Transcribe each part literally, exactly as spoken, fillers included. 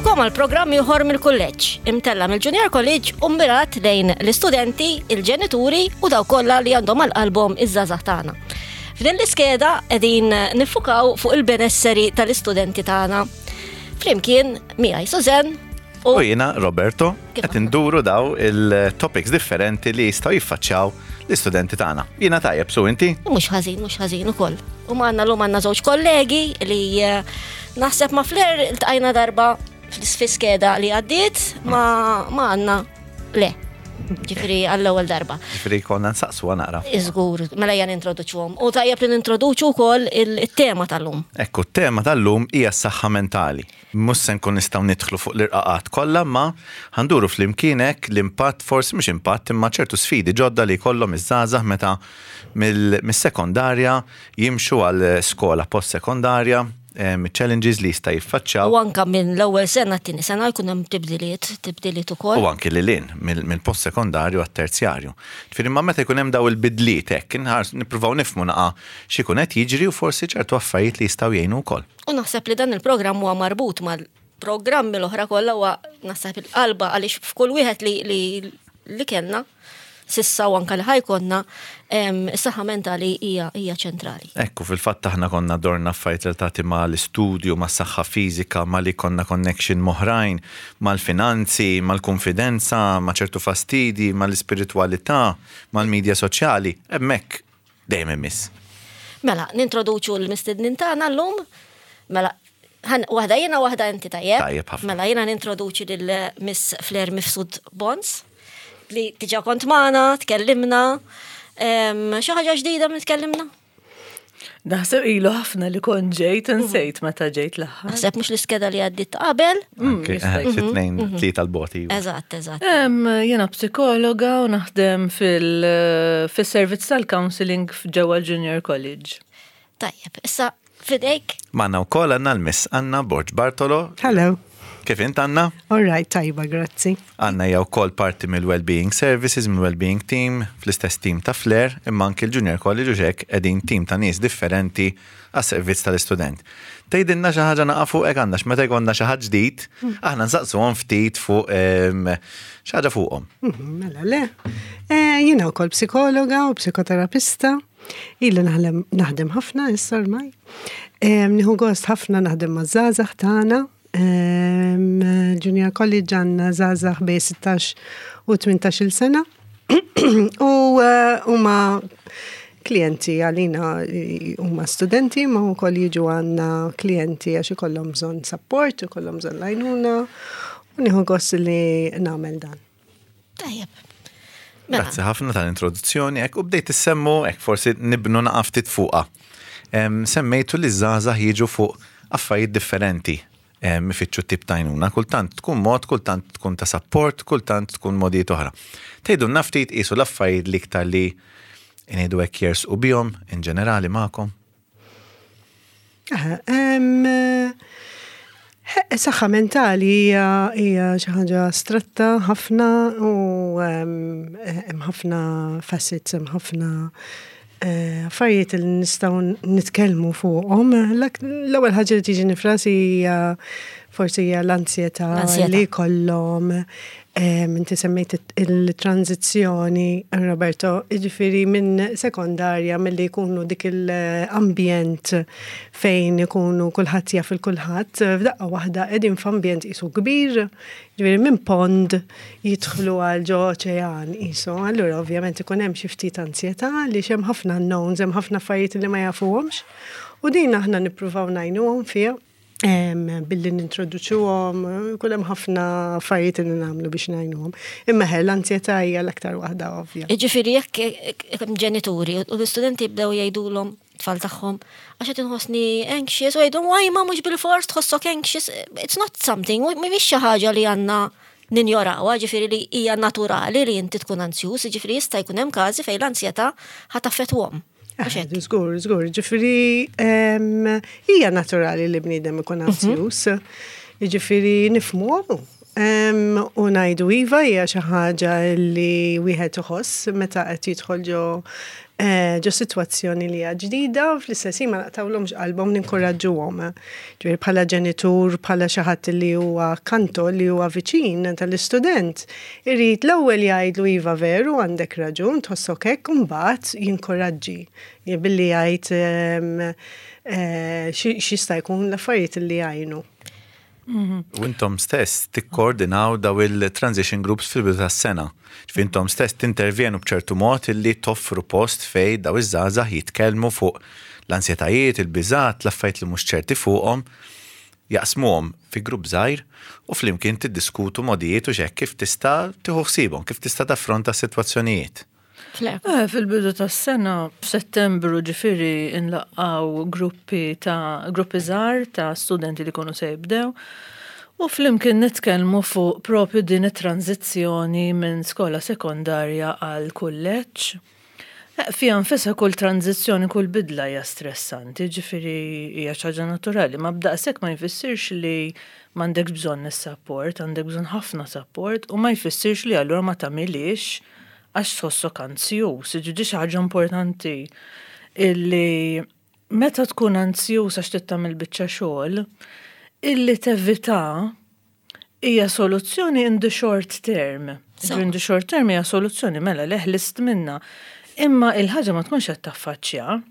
Nilqgħukom għal programm ieħor mill-kulleġġ, imtella' mill-Junior College u mmirat lejn l-istudenti, il-ġenituri u dawk kollha li għandhom għal qalbhom iż-żgħażagħ tagħna. F'din l-iskeda qegħdin niffukaw fuq il-benesseri tal-istudenti tagħna. Flimkien miegħi Suzen u jiena Roberto qed induru daw il-topics differenti li jistgħu jiffaċċjaw l-istudenti tagħna. Jiena tajjeb, su inti? Mhux ħażin, mhux ħażin ukoll. U magħna llum għandna żewġ kollegi li eh, naħseb ma' Flair iltqajna darba fl-iskeda li għaddiet ma ma għandna le. Ġifieri għall-ewwel darba. Ġifieri konna nsaqsu naqra. Iżgur, mela ejja nintroduċuhom. U tajjeb li nintroduċu wkoll il-tema tal-lum. Ekku, t-tema tal-lum hija s-saħħa mentali. Mhux se nkun nistgħu nidħlu fuq l-irqaqat kollha, ma ħa nduru flimkien hekk l-impatt, forsi mhux impatt, imma ċertu sfidi ġodda li jkollhom iż-żgħażagħ meta mill-sekondarja jimxu għal skola post-sekondarja, challenges li jista' jiffaċċjaw. U anka minn l-ewwel sena t-tieni sena jkun hemm tibdiliet, tibdiliet ukoll. U anki lil hinn mill-post sekondarju għat-terzjarju. Ġifieri ma meta jkun hemm daw il-bidliet hekk, nippruvaw nifhmu naqa x'ikun qed jiġri u forsi ċertu affarijiet li jistgħu jgħinu wkoll. U naħseb li dan il-programm huwa marbut mal-programmi l-oħra kollha, huwa naħseb il-qalba, għaliex f'kull wieħed li li li kellna s'issa u anka li ħa jkollna, is-saħħa mentali hija hija ċentrali. Ekku, fil-fatt aħna konna dorna affarijiet relatati ma' l-istudju, ma' saħħa fiżika, ma' li konna connection m'oħrajn, mal-finanzi, mal-konfidenza, ma' ċertu fastidi, mal-ispiritualità, mal-medja soċjali, hemmhekk dejjem imiss. Mela, nintroduċu l-mistednin tagħna llum. Mela, waħda jiena, waħda inti, tajjeb? Tajjeb ħafna. Mela jiena nintroduċi lil Miss Flair Mifsud Bons, li diġà kont magħna, tkellimna. Xi ħaġa ġdida minn tkellimna? Naħseb ilu ħafna li kont ġejt, nsejt meta ġejt l-aħħar. Naħseb mhux l-iskeda li għaddit qabel. Anke, jista' eh, xi tnejn, tlieta l-boti. Eżatt, eżatt. Em, Jiena psikologa u naħdem fil- fil-servizz tal-counseling ġewwa Junior College. Tajjeb, issa fidejk. Magħna wkoll għandna l-Miss Anna Borg Bartolo. Hello. Kif int, Anna? All right, tajba, grazzi. Anna hija wkoll parti mill-Wellbeing Services, mill-Wellbeing Team, fl-istess team ta' Flair, imma anki l-Junior College u hekk qegħdin team ta' nies differenti għas-servizz tal-istudent. Tgħidilna xi ħaġa naqa fuq hekk għandna, meta jkollna xi ħadd ġdid, aħna nsaqsuhom ftit fuq em, xi ħaġa fuqhom. Mhm, Mela, le. Eh, Jiena wkoll psikologa u psikoterapista. Ili naħlem- naħdem ħafna issa ormai. Em, Nieħu gost ħafna naħdem ma' żgħażagħ tagħna. Em, Junior College għandna żgħażagħ bejn sittax u tmintax-il sena. U eh, huma klienti għalina, eh, huma studenti, ma wkoll jiġu għandna klienti għax ikollhom bżonn support, ikollhom bżonn l-għajnuna u nieħu gost li nagħmel dan. Tajjeb. Mela, Grazzi ħafna tal-introduzzjoni, hekk u bdejt issemmu, hekk forsi nibnu naqa ftit fuqha. Em, Semmejtu li żgħażagħ jiġu fuq affarijiet differenti em, ifittxu tip ta' għajnuna, kultant tkun mod, kultant tkun ta' support, kultant tkun modijiet oħra. Tgħidu ftit qisu l-affarijiet li iktar li ngħidu hekk jersqu bihom in ġenerali magħkom. Aha, em, eh, Saħħa mentali hija hija xi ħaġa astratta ħafna u em, hemm ħafna facets, hemm ħafna eh, affarijiet li nistgħu nitkellmu fuqhom. L- L-ewwel ħaġa li tiġi f'rasi hija forsi hija l-ansjetà L-ansjetà. li jkollhom. Em, Inti semmejt il-tranzizzjoni, Roberto, jiġifieri minn sekondarja, milli jkunu dik il-ambjent fejn ikunu kulħadd jaf il-kulħadd, f'daqqa waħda qegħdin f'ambjent qisu kbir, jiġifieri minn pond jidħlu għal ġo oċean qisu. Allura ovvjament ikun hemm xi ftit ansjetà li hemm ħafna unknowns, hemm ħafna affarijiet li ma jafuhomx. U din aħna nippruvaw ngħinuhom fiha em, billi nintroduċuhom, kull hemm ħafna affarijiet li nagħmlu biex ngħinuhom. Imma ħe, l-ansjetà hija l-aktar waħda ovvja. Ġifieri jekk hemm ġenituri u l-istudenti jibdew jgħidulhom tfal tagħhom għax qed inħossni anxious u jgħidu waj ma mhux bil-fors tħossok anxious, it's not something, mhix xi ħaġa li għandna ninjorawha, ġifieri li hija naturali li inti tkun ansjuż, ġifieri jista' jkun hemm każi fejn l-ansjetà ħa taffettwahom. Mhux hekk? Żgur, żgur, ġifieri em, hija naturali li bniedem ikun ansjuż. Ġifieri nifhmu Em, U ngħidu iva hija xi ħaġa li wieħed iħoss meta qed jidħol ġo eh, ġo sitwazzjoni li hija ġdida u fl-istess ħin ma naqtawlhomx qalbhom, ninkoraġġuhom. Ġifieri bħala ġenitur, bħala xi ħadd li huwa kanto, li huwa viċin tal-istudent, irid l-ewwel jgħidlu: "Iva, veru, għandek raġun, tħossok hekk", u mbagħad jinkoraġġi billi jgħid em, eh, xi x'jista' jkun l-affarijiet li jgħinu. U intom stess tikkoordinaw daw il-transition groups fil-bidu tas-sena. Ġifieri intom stess tintervjenu b'ċertu mod illi toffru post fej daw iż-żgħażagħ jitkellmu fuq l-ansjetajiet, il-biżat, l-affarijiet li mhux ċerti fuqhom, jaqsmuhom fi grupp żgħir u flimkien tiddiskutu modijiet u xek kif tista' tieħu ħsiebhom, kif tista' taffronta s-sitwazzjonijiet. Fl- Eh, Fil-bidu tas-sena, f'Settembru ġifieri, nlaqqaw gruppi ta' gruppi żgħar ta' studenti li jkunu se jibdew. U flimkien nitkellmu fuq propju din it-tranzizzjoni minn skola sekondarja għal kulleġġ. Eh, Fija nfisha kull tranzizzjoni, kull bidla hija stressanti, ġifieri hija xi ħaġa naturali, ma b'daqshekk ma jfissirx li m'għandekx bżonn is-support, għandek bżonn ħafna support u ma jfissirx li allura ma tagħmilix għax tħossok anzjuż. Ġifieri xi ħaġa importanti illi meta tkun anzjuż għax trid tagħmel biċċa xogħol, illi tevita hija soluzzjoni in the short term. So. In the short term hija soluzzjoni, mela ħlist minna. Imma il-ħaġa ma tkunx qed taffaċċja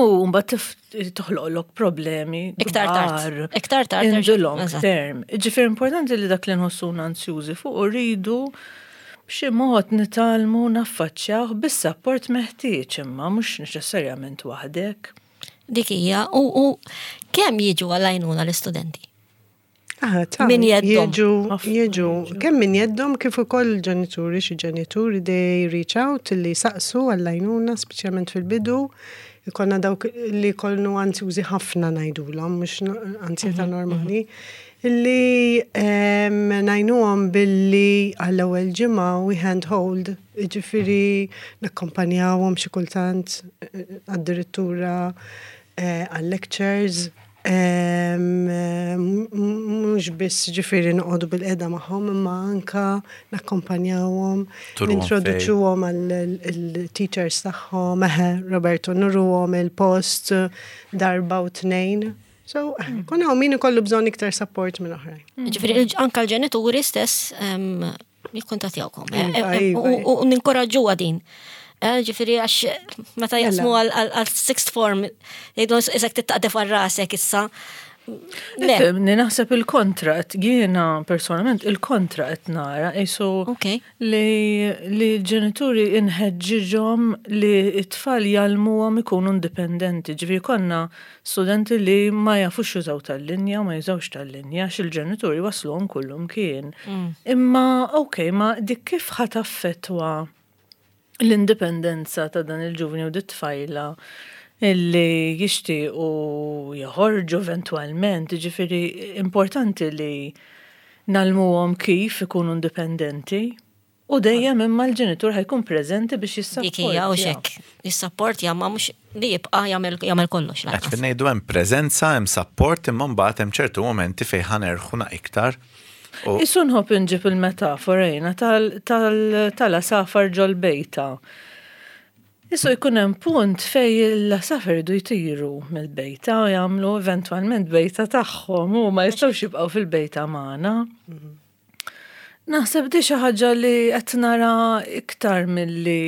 u mbagħad tif- toħloqlok problemi Iktar tard. kbar Iktar tard. in the long Eżatt. term. Ġifieri importanti li dak li nħossuna anzjużi fuq u rridu b'xi mod nitgħallmu naffaċċjaw bis-support meħtieġ, imma mhux neċessarjament waħdek. Dik hija, u, u kemm jiġu għall-għajnuna l-istudenti? Ah, ta' Min jeddhom. Jiġu, Ħafna jiġu, jiġu. kemm min jeddhom kif ukoll ġenituri, xi ġenituri they reach out li saqsu għall-għajnuna, speċjalment fil-bidu. Ikollna dawk li jkunu anzjużi ħafna ngħidulhom, mhux no- ansjetà normali, illi em, ngħinuhom billi għall-ewwel ġimgħa we hand hold, ġifieri nakkompanjawhom xi kultant eh, addirittura eh, għal-lectures, em, eh, mhux biss ġifieri noqogħdu bilqiegħda magħhom, imma anka nakkompanjawhom, Turuhom nintroduċuhom għall-teachers tagħhom, eħe, Roberto, nuruhom il-post darba u tnejn. So, kun hawn min ikollu bżonn iktar support minn oħrajn. Ġifieri anka l-ġenituri stess em, jikkuntattjawkom. Iva, Eh, eh, iva. U u ninkoraġġuha din. Eh, Ġifieri għax meta jaqsmu għal għal sixth form, jgħidu isek tittaqdef għal rasek issa. Le, Ifhimni, naħseb il-kontra, qed- jiena personalment il-kontra qed nara, qisu Ok. li li l-ġenituri inħeġġiġhom li t-tfal jgħallmuhom ikunu indipendenti. Ġifieri konna studenti li ma jafux jużaw tal-linja, ma jużawx tal-linja, għax il-ġenituri wasluhom kullum kien. Imma, ok, ma dik kif ħa taffettwa l-indipendenza ta' dan il-ġuvni u dit-tfajla illi jixtiequ joħorġu eventualment? Ġifieri importanti li ngħallmuhom kif ikunu indipendenti u dejjem imma l-ġenitur ħa jkun preżenti biex Dik hija u jissapportja. xek. Jissapportja, ma mhux li jibqa' jagħmel jagħmel kollox Għax lanqas. fin ngħidu hemm preżenza, hemm support, imma mbagħad hemm ċertu momenti fejn ħa nerħuna iktar. U Qisu nħobb inġib il-metafora jiena tal-għasafar ġol-bejta. Qisu jkun hemm punt fej l-għasafar iridu jtiru mill-bejta u jagħmlu eventwalment bejta tagħhom u ma jistgħux jibqgħu fil-bejta magħna. Naħseb di xi ħaġa li qed nara iktar milli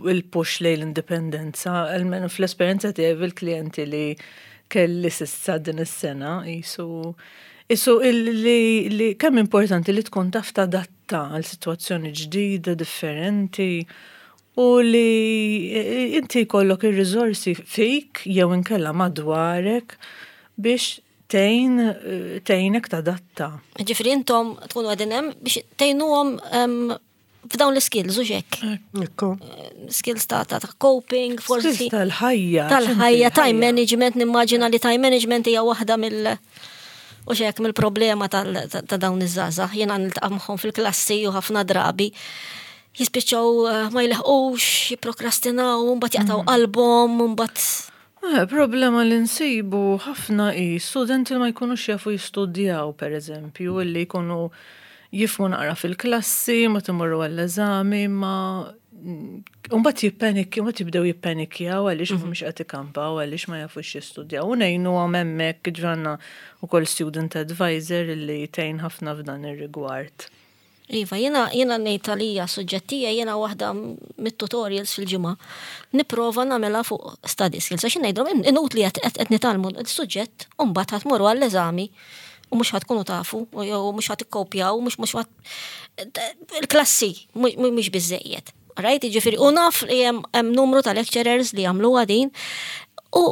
il-push lejn l-indipendenza, almenu fl-esperjenza tiegħi bil-klijenti li kelli s'issa din is-sena, qisu qisu li, li kemm importanti li tkun taf tadatta għal sitwazzjoni ġdida, differenti, u li inti jkollok ir-riżorsi fik jew inkella madwarek biex tgħin tgħinek tadatta. Ġifieri intom tkunu qegħdin hemm biex tgħinuhom em, f'dawn l-skills u xek. Ekku. Skills ta' ta' ta' coping, forsi. Skills tal-ħajja. Tal-ħajja, time x'inti management, nimmaġina li time management hija waħda mill- u xek mill-problema tal- ta' ta' dawn iż-żgħażagħ. Jiena niltaqa' magħhom fil-klassi u ħafna drabi jispiċċaw eh, ma jleħqux, jipprokrastinaw, mbagħad jaqtaw qalbhom, mbagħad Eh, problema li nsibu ħafna i studenti li ma jkunux jafu jistudjaw, per eżempju, li jkunu jifhmu naqra fil-klassi, ma timorru għall-eżami, ma Umbat jippanikjaw, mbagħad jibdew jippanikjaw għaliex mhumiex qed ikampaw, għaliex ma jafux jistudjaw. U ngħinu hemmhekk ġranna ukoll student advisor li tgħin ħafna f'dan ir-rigward. Iva, jena jena ngħid għalija suġġettija, jena waħda mit-tutorials fil-ġimgħa. Nipprova nagħmilha fuq study skills, għax ngħidlhom inutli qed nitgħallmu s-suġġett u mbagħad ħa tmorru għall-eżami u mhux ħa tkunu tafu, u jew mhux ħa tikkopjaw, mhux mhux ħa il-klassi mhux biżejjed. Right, ġifieri, u naf li hemm numru ta' lecturers li jagħmluha din. U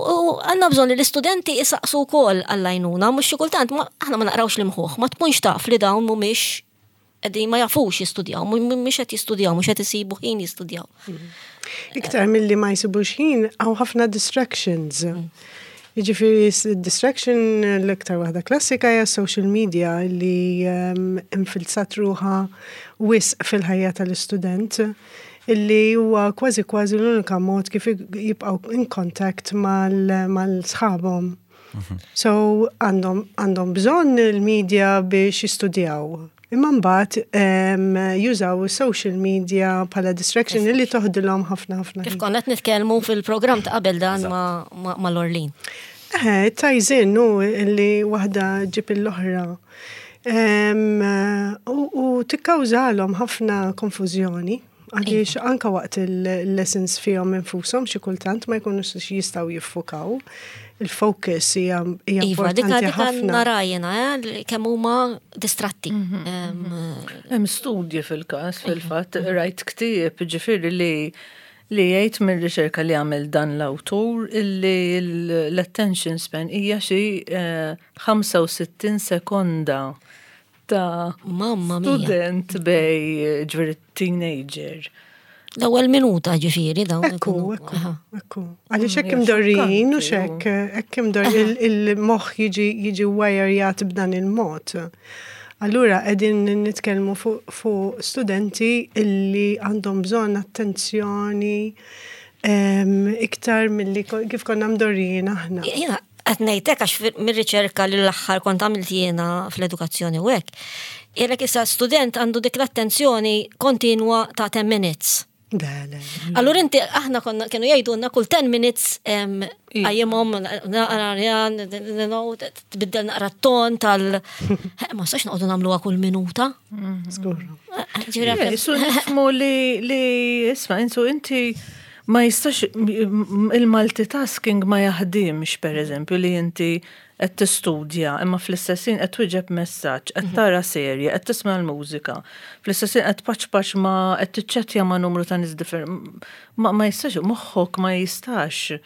għandna bżonn li l-istudenti isaqsu wkoll għall-għajnuna, mhux xi kultant aħna ma naqrawx l-imħuħ, ma tkunx taf li dawn mhumiex qegħdin ma jafux jistudjaw, mhumiex qed jistudjaw, mhux qed isibu ħin jistudjaw. Iktar milli ma jsibux ħin, hawn ħafna distractions. Jiġifieri distraction l-iktar waħda klassika hija social media li infilzat ruħha wisq fil-ħajja tal-istudent, illi huwa kważi kważi l-unika mod kif jibqgħu in contact mal-sħabhom. So għandhom għandhom bżonn il-media biex jistudjaw. Imma mbagħad jużaw social media bħala distraction illi toħdilhom ħafna ħafna. Kif konna qed nitkellmu fil-programm ta' qabel dan ma' Lorlin. Eh, tajżin nu illi waħda ġib l-oħra. U tikkawżalhom ħafna konfużjoni. Għaliex anka waqt il-lessons fihom infushom xi kultant ma jkunux jistgħu jiffukaw. Il-focus hija Iva, dika dika nara jena, eh, kemm huma distratti. Hemm studji fil-każ, fil-fatt, rajt ktieb, ġifieri, li li jgħid mir-riċerka li għamel dan l-awtur illi l-attention span hija xi ħamsa u sittin sekonda ta' Mamma mia. student bej, ġifieri, teenager. L-ewwel minuta, ġifieri, dawn. Ekku, ikunu- ekku, aha. ekku. Għaliex hekk Hija imdorrijin u xokkanti, xek, hekk imdor il-moħħ jiġi jiġi wirejat b'dan il-mod. Allura qegħdin nitkellmu fuq fuq studenti illi għandhom bżonn attenzjoni em, iktar milli ko- kif konna mdorrijin aħna. Jena, qed ngħidlek għax fir- mir-riċerka li l-aħħar kont għamilt jiena fl-edukazzjoni u hekk. Jellek issa student għandu dik l-attenzjoni kontinwa ta' ten minutes. Le, le. Allura inti, aħna konna kienu jgħidulna kull ten minutes em, qajjimhom, tbiddel naqra t-ton tal. Ma sax noqogħdu nagħmluha kull minuta. Żgur. Ġifieri, Le, Su nifhmu li li isma', insu inti ma jistax il-multitasking ma jaħdimx, per eżempju, li inti qed tistudja imma fl-istess ħin qed twieġeb messaġġ, qed tara serje, qed tisma' l-mużika, fl-istess ħin qed paċpaċ ma qed tiċċettja ma' numru ta' nies differenti. Ma ma jistax, moħħok ma jistax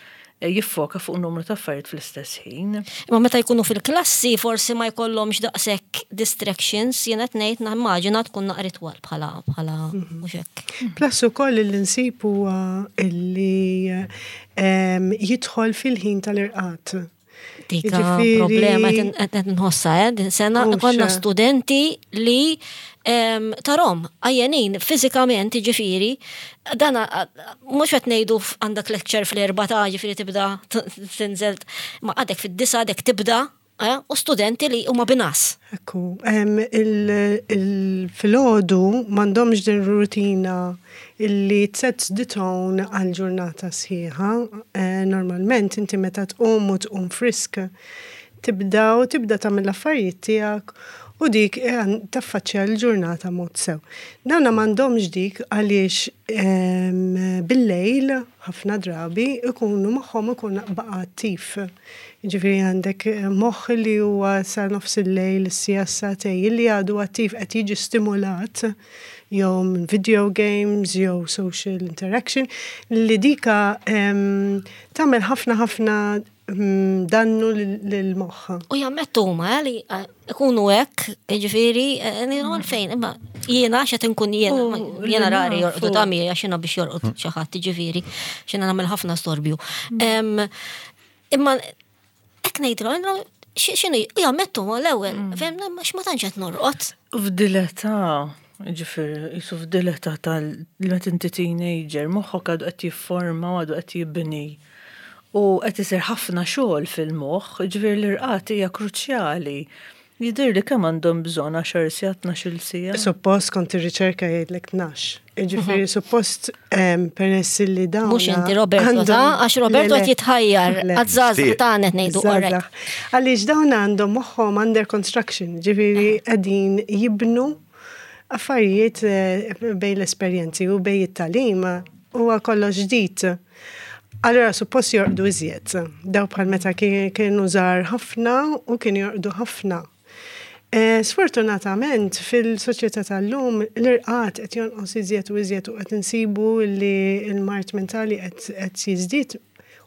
jiffoka fuq numru ta' affarijiet fl-istess ħin. Imma meta jkunu fil-klassi forsi ma jkollhomx daqshekk distractions, jiena qed ngħid, nimmaġina tkun naqra twal bħala bħala mhux hekk. Plus ukoll li nsib huwa illi em, jidħol fil-ħin tal-irqad. Dika Jiġifieri- problema qed qed nħossa, eh, din sena Mhux, konna eh. studenti li em, tarom għajjenin fiżikament, ġifieri, dana mhux qed ngħidu f- għandek lecture fl-erba ta', ġifieri, tibda t- tinżel, ma għadek fid-disa għadek tibda, eh, u studenti li huma bin-ngħas. Ekku, em, il- il-filgħodu m'għandhomx din rutina illi sets the tone għal-ġurnata sħiħa. Eh, Normalment inti meta tqum u tqum frisk, tibda u tibda tagħmel l-affarijiet tiegħek u dik eh, taffaċċja l-ġurnata mod sew. Dawna m'għandhomx dik għaliex em, bil-lejl ħafna drabi ikunu moħħhom ikun baqa' attiv. Ġifieri għandek eh, moħħ li huwa sa nofs il-lejl, is-sija sagħtejn, li għadu attiv, qed jiġi stimulat jew minn video games jew social interaction li dika em, tagħmel ħafna ħafna mm, dannu lil-moħħ. U jammettu huma eh, li eh, ikunu hekk, ġifieri, eh, ngħidu għalfejn, imma jiena x'qed inkun jiena, U ma- jiena li rari nafu. jorqdu tami għax jiena biex jorqod xi ħadd, ġifieri, x'jiena nagħmel ħafna storbju. Em, Imma hekk ngħidlu, ngħidlu, xi- x'inhu, u jammettu huma l-ewwel, fem, ma ma tantx qed norqod. F'dil-età, ġifieri, jisu f'dil-età tal meta inti teenager, moħħok għadu qed jifforma u għadu qed jibni. U qed isir ħafna xogħol fil-moħħ, ġifieri l-irqad hija kruċjali. Jidher li kemm għandhom bżonn għaxar sigħat, tnax-il siegħa. Suppost kont ir-riċerka jgħidlek tnax. Ġifieri suppost em, peress li dawn. Mhux inti Roberto, ta' għax Roberto qed jitħajjar għaż-żgħażagħ tagħna qed ngħidu alright. Għaliex dawn għandhom moħħhom under construction, ġifieri qegħdin jibnu affarijiet eh, bejn l-esperjenzi u bejn it-tagħlim huwa kollox ġdid. Allora, suppost jorqdu iżjed. Daw bħal meta kienu żgħar ħafna u kienu jorqdu ħafna. Eh, Sfortunatament fil-soċjetà tal-lum l-irqad qed jonqos iżjed u iżjed u qed insibu li l-mard mentali qed qed jiżdied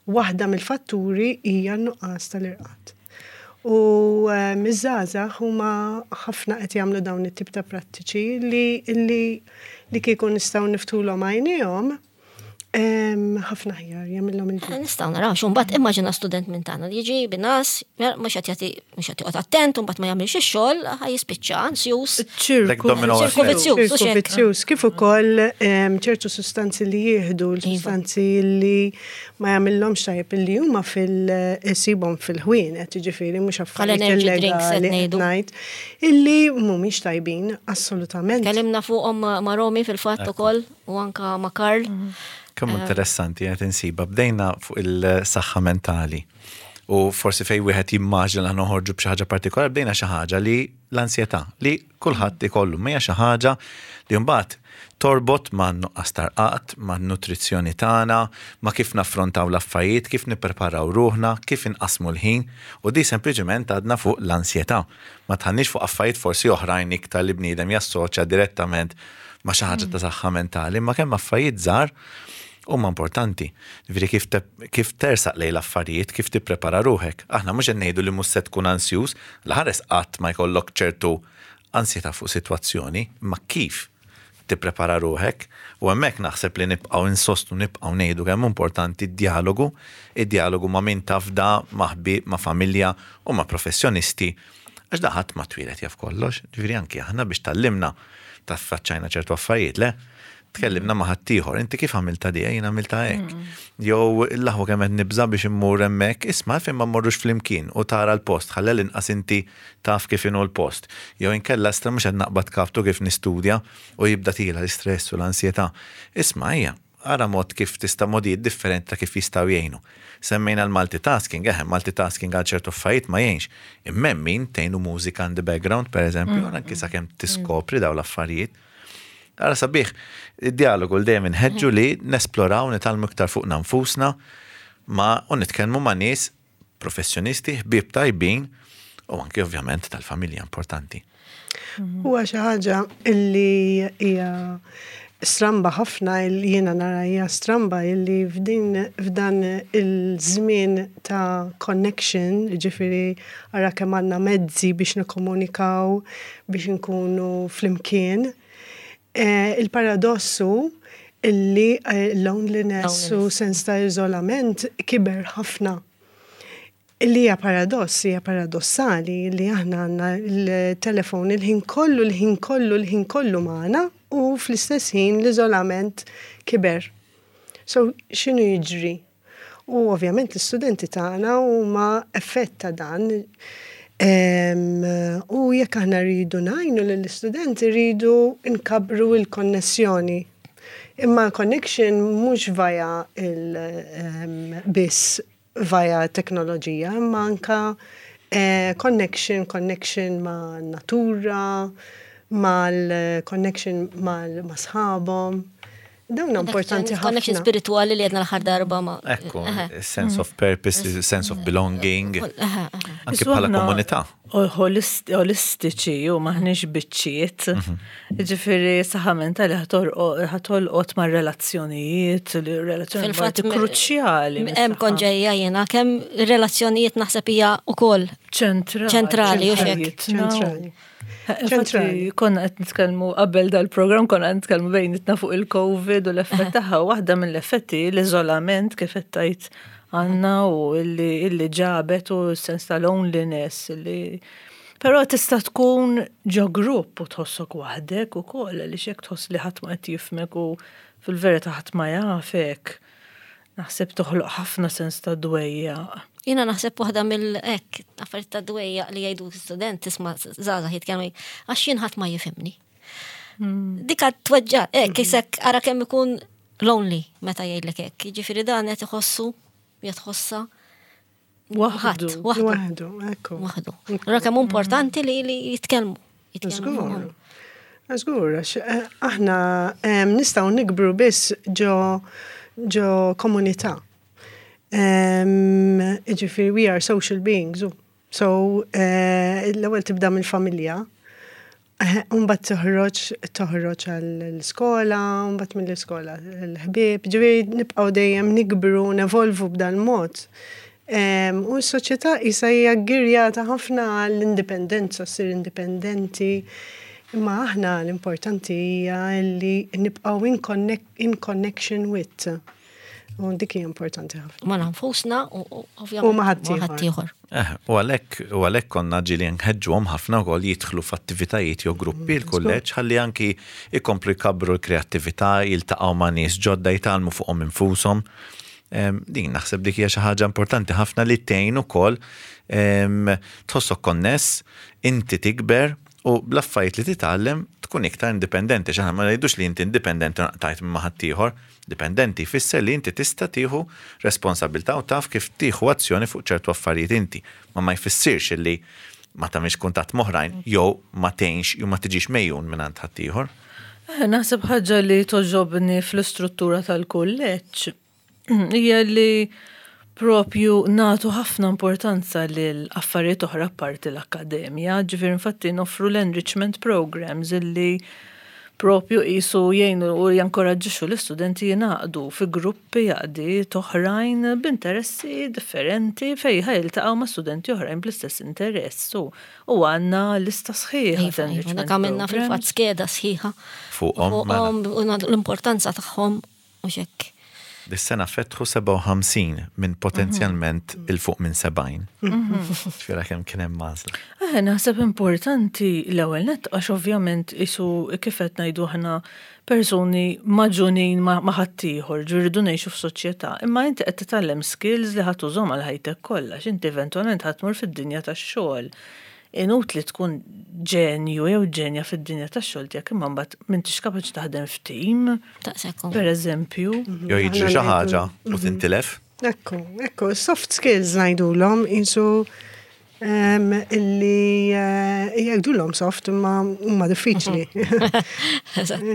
waħda mill-fatturi hija n-nuqqas tal-irqad. U eh, miż-żgħażagħ huma ħafna qed jagħmlu dawn it-tip ta' prattiċi li li li kieku nistgħu niftulhom għajnejhom em, ħafna aħjar jagħmilhom il-ġid. Nistgħu naraw, xu mbagħad immaġina student minn tagħna li jiġi bin-nas, mhux qed jagħti mhux qed joqgħod attent, u mbagħad ma jagħmilx ix-xogħol, ħa jispiċċa ansjus. ċirku. Like domino Ċirku effect. vizzjuż, u Ċirku xek. vizzjuż, kif ukoll em, ċertu sustanzi li jieħdu, l-sustanzi li ma jagħmilhomx tajjeb illi huma fil-sibhom fil-ħwienet, jiġifieri mhux affarijiet energy drinks qed illegali qed ngħidu. ngħid, illi mhumiex tajbin assolutament. Kellimna fuqhom ma' ma' Romi fil-fatt ukoll u anka ma' Karl. Kemm interessanti qed insiba. Bdejna fuq il-saħħa mentali. U forsi fej wieħed jimmaġina li noħorġu b'xi ħaġa partikolari, bdejna xi ħaġa li l-ansjetà li kulħadd ikollu, ma hija xi ħaġa li mbagħad torbot ma' nuqqas tarqat, ma' nutrizzjoni tagħna, ma' kif naffrontaw l-affarijiet, kif nippreparaw ruħna, kif inqasmu l-ħin, u di sempliċement għadna fuq l-ansjetà. Ma tħannix fuq affarijiet forsi oħrajn iktar li bniedem jassoċja direttament ma' xi ħaġa ta' saħħa mentali, ma kemm affarijiet żgħar huma importanti. Ġifieri kif, te, kif tersaq lejn l-affarijiet, kif tipprepara ruħek. Aħna mhux qed ngħidu li mhux se tkun ansjuż, l-ħares qatt ma jkollok ċertu ansjetà fuq sitwazzjoni, ma kif tipprepara ruħek u hemmhekk naħseb li nibqgħu insostnu nibqgħu ngħidu kemm importanti d-dialogu, id-dialogu ma' min tafda, ma' ħbieb, ma' familja u ma' professjonisti għax da ħadd ma twieled jaf kollox, ġifieri anki aħna biex tgħallimna taffaċċajna ċertu affarijiet, le? Tkellimna ma' ħaddieħor, inti kif għamilta di, jien għamilta hekk. Jew l-aħwa kemm qed nibża biex immur hemmhekk, isma' fejn ma mmorrux flimkien u tara l-post, ħalli l-inqas inti taf kif inhu l-post. Jew inkella stra mhux qed naqbad kaptu kif nistudja u jibda tila l-istress u l-ansjetà. Isma' hija, ara mod kif tista' modijiet differenti ta' kif jistgħu jgħinu. Semmejna l-multitasking, eħe, multitasking għal ċertu affarijiet ma jgħinx. Imma min tgħinu mużika in the background, per eżempju, mm. anki sakemm tiskopri daw l-affarijiet. Ara sabiħ, id-dialogu l dejjem inħeġġu li nesploraw, nitgħallmu iktar fuq nfusna, ma u nitkellmu ma' nies professjonisti, ħbieb tajbin, u anki ovvjament tal-familja importanti. Huwa xi ħaġa illi hija stramba ħafna illi jiena nara hija stramba illi f'din f'dan il-żmien ta' connection, ġifieri ara kemm għandna mezzi biex nikkomunikaw, biex nkunu flimkien. Eh, il-paradossu illi eh, loneliness u sens ta' iżolament kiber ħafna. Illi hija paradoss, hija paradossali li aħna għandna il-telefon il-ħin kollu, il-ħin kollu, il-ħin kollu magħna u fl-istess ħin l-iżolament kiber. So, x'inhu jiġri? U ovvjament l-istudenti tagħna huma effett ta' dan. Em, u jekk aħna rridu ngħinu lill-istudenti rridu nkabbru il-konnessjoni. Imma connection mhux via il em, biss via teknoloġija, imma anka eh, connection, connection ma' natura, mal-connection mal ma' sħabhom. Dawn importanti Connection ħafna. spirituali li għedna l-aħħar darba ma. Ekku, sense of purpose, sense of belonging, Eħe, eħe. anki bħala komunità. Holistiċi u maħniex biċċiet. Ġifieri, saħħa mentali ħa tolqot ma' relazzjonijiet, relazzjoni Fil-fatt kruċjali. Hemm kont ġejja jiena kemm relazzjonijiet naħseb hija ukoll ċentrali. ċentrali, u xek. Ċentrali. Infatti, Ċentrali. konna qed nitkellmu qabel dal-programm, konna qed nitkellmu bejnietna fuq il-Covid u l-effett tagħha. Waħda mill-effetti l-iżolament kif qed tgħid għandna u illi illi ġabet u s-sens ta' loneliness illi Però tista' tkun ġo grupp u tħossok waħdek ukoll għaliex jekk tħoss li ħadd ma qed jifhmek u fil-verità ħadd ma jafek. Naħseb toħloq ħafna sens ta' dwejjaq. Jiena naħseb waħda mill-ek, affarijiet ta' dwejjaq li jgħidu student tisma' żgħażagħ jitkellmu għax jien ħadd ma jifhimni. Dika tweġġa, hekk isek ara kemm ikun lonely meta jgħidlek hekk. Jiġifieri dan qed iħossu, jitħossa Waħdu. waħdu. Waħdu, ekku. Waħdu. Allura kemm importanti li li jitkellmu. Jitkellmu Żgur. fuqhom. Żgur, għax eh, aħna em, nistgħu nikbru biss ġo ġo komunità. Em, Ġifieri, we are social beings. u. So, eh, l-ewwel tibda mill-familja, eh, Umbagħad toħroġ toħroġ għall-iskola, umbagħad mill-iskola l-ħbieb, ġifieri nibqgħu dejjem nikbru, nevolvu b'dan mod. Em, U s-soċjetà issa hija ggirjata ħafna għall-indipendenza, ssir indipendenti. Imma aħna l-importanti hija li nibqgħu in, connect, in connection with. U dik hija importanti ħafna. Ma nfusna u u ovvjament U ma' ħaddieħor. ma' ħaddieħor. Eh, u għalhekk, u għalhekk konna ġieli nħeġġuhom ħafna wkoll jidħlu f'attivitajiet jew gruppi l-kulleġġ ħalli anki ikomplu jkabru l-kreattività, jiltaqgħu ma' nies ġodda jitgħallmu fuqhom infushom. Em, Din naħseb dik hija xi ħaġa importanti ħafna li tgħin ukoll em, tħossok konness, inti tikber u bl-affarijiet li titgħallem tkun iktar indipendenti. X'aħna ma ngħidux li inti indipendenti tajt minn ma' ħaddieħor, dipendenti jfisser li inti tista' tieħu responsabilità u taf kif tieħu azzjoni fuq ċertu affarijiet inti. Ma ma jfissirx li ma tagħmilx kuntatt m'oħrajn jew ma tgħinx jew ma tiġix megħjun minn għand ħaddieħor. Eh, Naħseb ħaġa li togħġobni fl-istruttura tal-kulleġġ hija li propju nagħtu ħafna importanza lil affarijiet oħra parti l-akkademja, ġifieri infatti noffru l-enrichment programs illi propju jisu jgħinu u jankoraġġixxu l-istudenti jingħaqdu fi gruppi għaqdiet oħrajn b'interessi differenti fejn ħa jiltaqgħu ma' studenti oħrajn bl-istess interess. U u għandna lista sħiħa ta' Iva, iva, enrichment dak għamilna programs. fil-fatt skeda sħiħa. Fuqhom, mela. Fuqhom u nagħtu l-importanza tagħhom u xek. Dis-sena fetħu sebgħa u ħamsin minn potenzjalment 'il fuq minn sebgħin. Ġifieri kemm kien hemm għażla. Eh, naħseb importanti l-ewwel nett għax ovvjament isu kif qed ngħidu aħna persuni magħġunin ma' ma' ħaddieħor, ġifieri ngħixu f'soċjetà, imma inti qed titgħallem skills li ħa tużahom għal ħajtek kollha, x'inti eventwalment ħa tmur fid-dinja tax-xogħol. Inutli tkun ġenju jew ġenja fid-dinja tax-xogħol tiegħek imma mbagħad m'intix kapaċi taħdem f'tim, Taqsekkom. per eżempju. Jew jiġri xi ħaġa u tintilef. Ekku, ekku, soft skills ngħidulhom jisu um, illi uh, jgħidulhom soft imma huma diffiċli.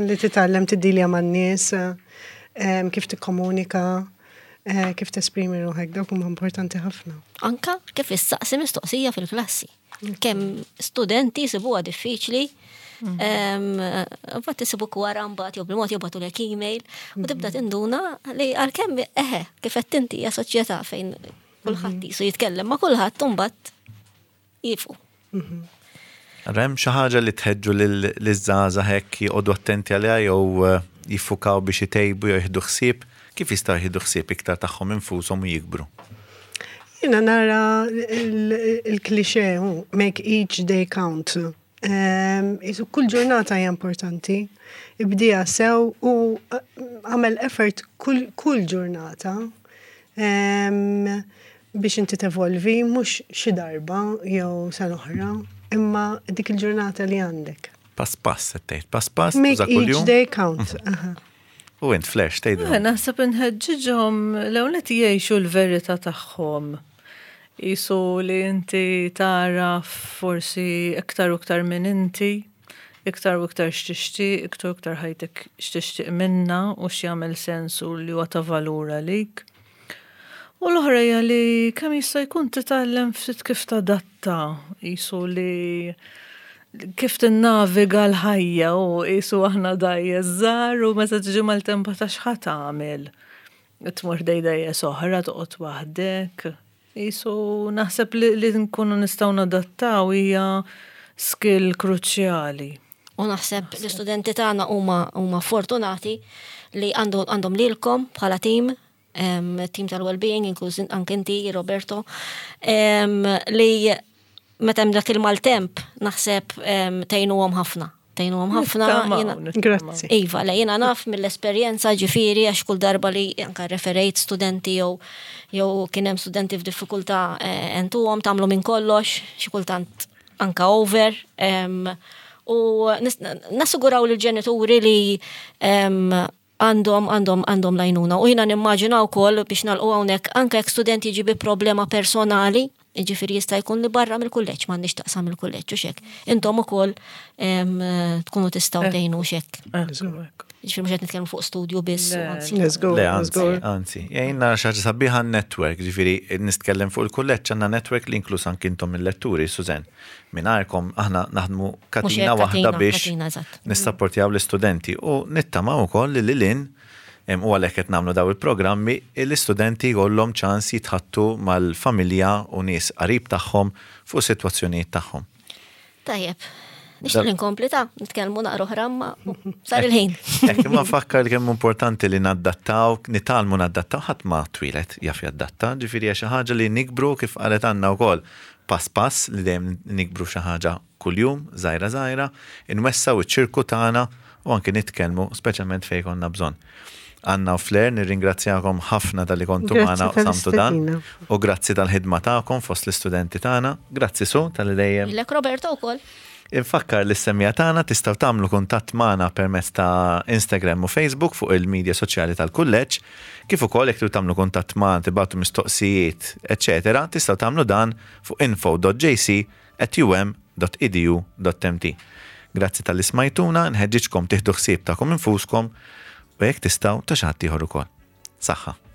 Li titgħallem tiddilja man-nies, um, kif tikkomunika, uh, kif tesprimi ruħek, dawk huma importanti ħafna. Anka kif issaqsi mistoqsija fil-klassi. Kemm studenti jsibuha diffiċli, Mbagħad isibuk wara mbagħad jew bil-mod jibagħtulek email u tibda tinduna li għalkemm eħe kif qed inti hija soċjetà fejn kulħadd jisu jitkellem ma' kulħadd u mbagħad jifu. Hemm xi ħaġa li tħeġġu liż-żgħażagħ hekk joqogħdu attenti għaliha jew eh, jiffukaw biex itejbu jew jieħdu ħsieb, kif jistgħu jieħdu ħsieb iktar tagħhom infushom u jikbru? Jiena nara il-klixe, make each day count. Um, Isu kull ġurnata hija importanti. Ibdieha sew u eh, għamel effort kull, kull ġurnata um, biex inti tevolvi, mhux xi darba jew sena oħra, imma dik il-ġurnata li għandek. Pass pass, qed tgħid, pass pass, Make tuża each kuljum. day count. Aha. U int flash Eh, tgħidilhom. Naħseb inħeġġiġhom l-ewwel qed jgħixu l-verità tagħhom. Isu li inti tara forsi iktar u iktar minn inti, iktar u iktar x'tixtieq, iktar u iktar ħajtek x'tixtieq minna u x'jagħmel sens u li huwa ta' valur għalik. U l-oħra hija li kemm jista' jkun titgħallem ftit kif tadatta, jisu li kif tinnaviga l-ħajja u jisu aħna dgħajjes żgħar u meta tiġi maltempata x'ħa tagħmel. Tmur dgħajjes oħra toqgħod waħdek. Jisu naħseb li, li nkunu nistgħu nadattaw hija skill kruċjali. U naħseb l-istudenti tagħna huma huma fortunati li għandu għandhom lilkom bħala team, em, team tal-well-being, inkluż anke inti, Roberto, em, li meta hemm dak il-maltemp naħseb em, tgħinuhom ħafna. Tgħinuhom ħafna. Grazzi. Iva, le jiena naf mill-esperjenza, ġifieri, għax kull darba li anka referejt studenti jew jew kien hemm studenti f'diffikultà, eh, għentuhom, tagħmlu minn kollox, xi kultant anka over. U nassiguraw lill-ġenituri li għandhom għandhom għandhom l-għajnuna. U jiena nimmaġina wkoll, biex nagħlqu hawnhekk, anke jekk student jiġi bi problema personali, ġifieri jista' jkun li barra mill-kulleġġ, m'għandix x'taqsam il-kulleġġ u hekk. Intom ukoll tkunu tistgħu eh. tgħinu hekk. Ġifieri mhux qed nitkellmu fuq studju biss. Le, anzi, anzi. Jgħinna xi ħaġa sabiħa network, ġifieri nitkellem fuq il-kulleġġ, għandna network li inklus anki intom il-letturi, Suzen. Mingħajrkom aħna naħdmu katina waħda biex nissapportjaw l-istudenti u nittamaw ukoll li lil u għalhekk qed nagħmlu daw il-programmi, l-istudenti jkollhom ċans jitħaddtu mal-familja u nies qarib tagħhom fuq sitwazzjonijiet tagħhom. Tajjeb. Nixtieq inkompli ta' nitkellmu naqra oħra, ma sar il-ħin. Hekk, imma nfakkar li kemm importanti li naddattaw, nitgħallmu naddattaw, ħadd ma twieled jaf jaddatta, ġifieri xi ħaġa li nikbru, kif qalet għandna wkoll, pass pass, li dejjem nikbru xi ħaġa kuljum, żgħira żgħira, inwessgħu iċ-ċirku tagħna u anke nitkellmu, speċjalment fejn konna bżonn. Anna u Flair, nirringrazzjakom ħafna talli kontu magħna u qsamtu dan. U grazzi tal-ħidma tagħkom fost l-istudenti tagħna. Grazzi, Su, talli dejjem. Lilek, Roberto, wkoll. Infakkar lis-semmiegħa tagħna, tistgħu tagħmlu kuntatt magħna permezz ta' Instagram u Facebook fuq il-medja soċjali tal-kulleġġ, kif ukoll jekk tagħmlu kuntatt magħna, tibagħtu mistoqsijiet, eċetera, tistgħu tagħmlu dan fuq info dot J C at U M dot edu dot M T. Grazzi talli smajtuna, nħeġġiġkom tieħdu ħsieb tagħkom infuskom u jekk tistgħu ta' xi ħadd ieħor ukoll. Saħħa.